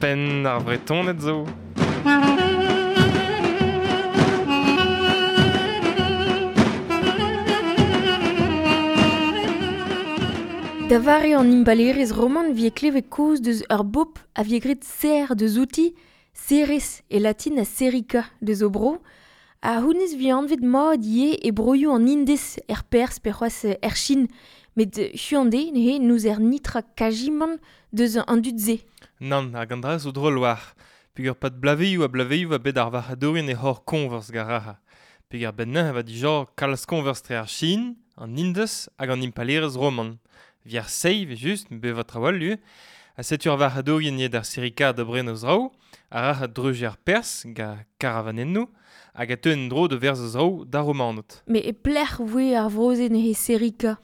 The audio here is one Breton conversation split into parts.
Penn ar Vretoned zo. Da vare an impalaerezh roman vie klevet kaoz deus ur bobl a vie graet serr deus outi, Ceres e latin ha Serica deus o bro, ha honnezh vie anvet mat ivez e broioù an Indez er Pers pe c'hoazh er Chin, met huan-dez neuze n'ouzer nitra kajimant deus an dud-se. Nann, hag an dra zo drol war. Peogwir pad blavezhioù ha blavezhioù a bet ar varc'hadourien e c'hor koñvers garaha. Peogwir benn-neuze va dija kalz koñvers tre ar Chin, an Indez hag an impalaerezh roman. Vi ar seiz, just, bevañ trawal lu. Ha setu ar varc'hadourien eo d'ar Sirika da bren o zraoù, a ra a dreuji ar Pers, ga karavanennoù, hag a teu en-dro da verz o zraoù d'ar Romaned. Met e pelec'h voe ar vro-se neuze Serika?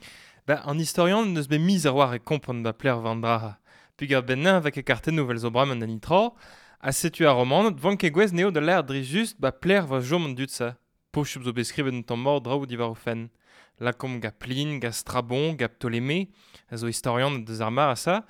Ba, an istorian n'eus bet miz ar war e kompren ba plec'h war an dra. Peogwir bennañ va ket kartennoù vel zo bremañ da nitra, ha setu ar Romaned van ket gwez neo da lâret dre just ba plec'h va chom an dud-se. Posupl zo bet skrivet un tamm mort draoù diwar o fenn. Lakaomp ga Plin, ga Strabon, ga Ptolémée, a zo istorian deus ar mar a sa,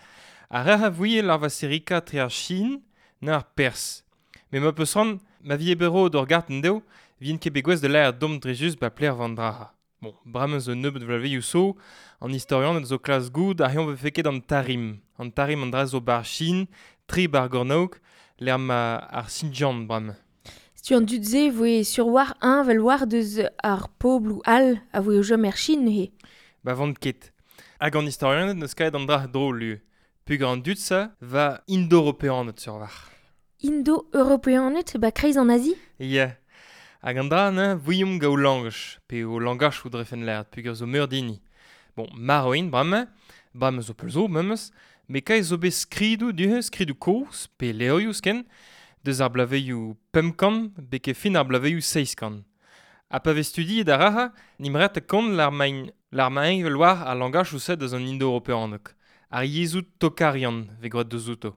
a ra a vouie lar va Serika tre ar Chin na ar Pers. Me ma peus ran, ma vie bero d'ur garten deo, vien ket bet gwez de lâret dom dre just ba plec'h war an dra. Bon, bremañ zo nebeut vlavezhioù zo, an istorianed zo klas goud ar c'heomp vefe ket an Tarim. An Tarim an dra zo bar Chin, tri bar Gornaok, lec'h ma ar Xinjiang bremañ. Setu an dud-se voe sur war un vel war deus ar pobloù all a voe o chom er Chin neuze. Ba vant ket. Hag an istorianed n'eus kaet an dra drol lu. Peogwir an dud-se va indo-europeaned sur war. Indo-europeaned ba kreiz an Azi? Ya. Hag an dra ne vouiomp ga o langaj, pe o langaj o drefen lâret, peogwir zo meur dini. Bon, maroin bremañ, bremañ zo peul zo memes, met kae zo bet skridoù du-hont, skridoù kozh, pe levrioù sken, deus ar blavezhioù 500 beke fin ar blavezhioù 700. Ha pa vez studiet ar raha, n'im ret kont lar main lar main vel war ar langaj ouzh deus an indo-europeaneg. Ar yezhoù tokarian vez graet deus outo.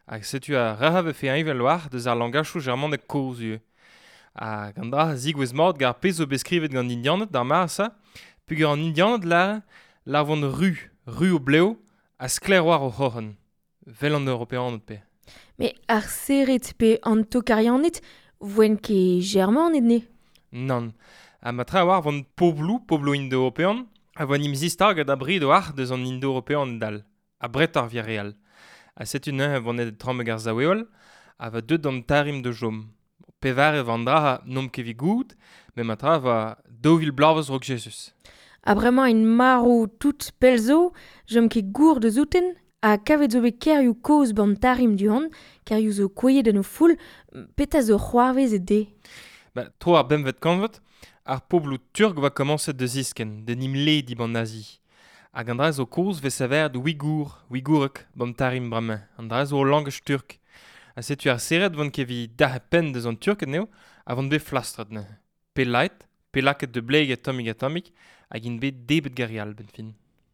Hag setu ar raha vefe eñvel war deus ar langajoù germaneg kozh ivez. Hag an dra zigouez mat gar pezh zo bet skrivet gant Indianed d'ar mar-se, peogwir an Indianed lar lar vont ru, ru o blev, ha sklaer war o c'horn. Vel an Europeaned pe. Met ar Sered pe an Tokarianed voent ket Germaned ne? Nann. Ha ma tra war vont pobloù, pobloù indo-european, a voa nim zistag da brid o arc'h deus an indo-european dal, a bret ar vireal. Ha setu neuze vont et trammeg ar zaoueol, a va deut d'an tarim de jom. Pevar e van dra n'omp ket evit goût, met ma tra va 2000 bloavezh raok Jesus. Ha bremañ int marv tout pell zo, jom ket gour deus outen, ha kavet zo bet kêrioù kozh ban tarim du-hont, kêrioù zo kouezhet en o foull, petra zo c'hoarvezet dezhe? Ba, tro ar bempvet kantved, ar pobloù turk va komañset da ziskenn, da nim lediñ ban Azi. Hag an dra zo kozh vez savet Ouigour, Ouigourek, ban tarim bremañ. An dra zo langaj turk. Ha setu ar serret vont ket evit dac'h penn deus an turk anezho, a vont bet flastret neuze. Pe lait, pe lakaet da blegañ tammig ha tammig, hag int bet debret garial benn fin.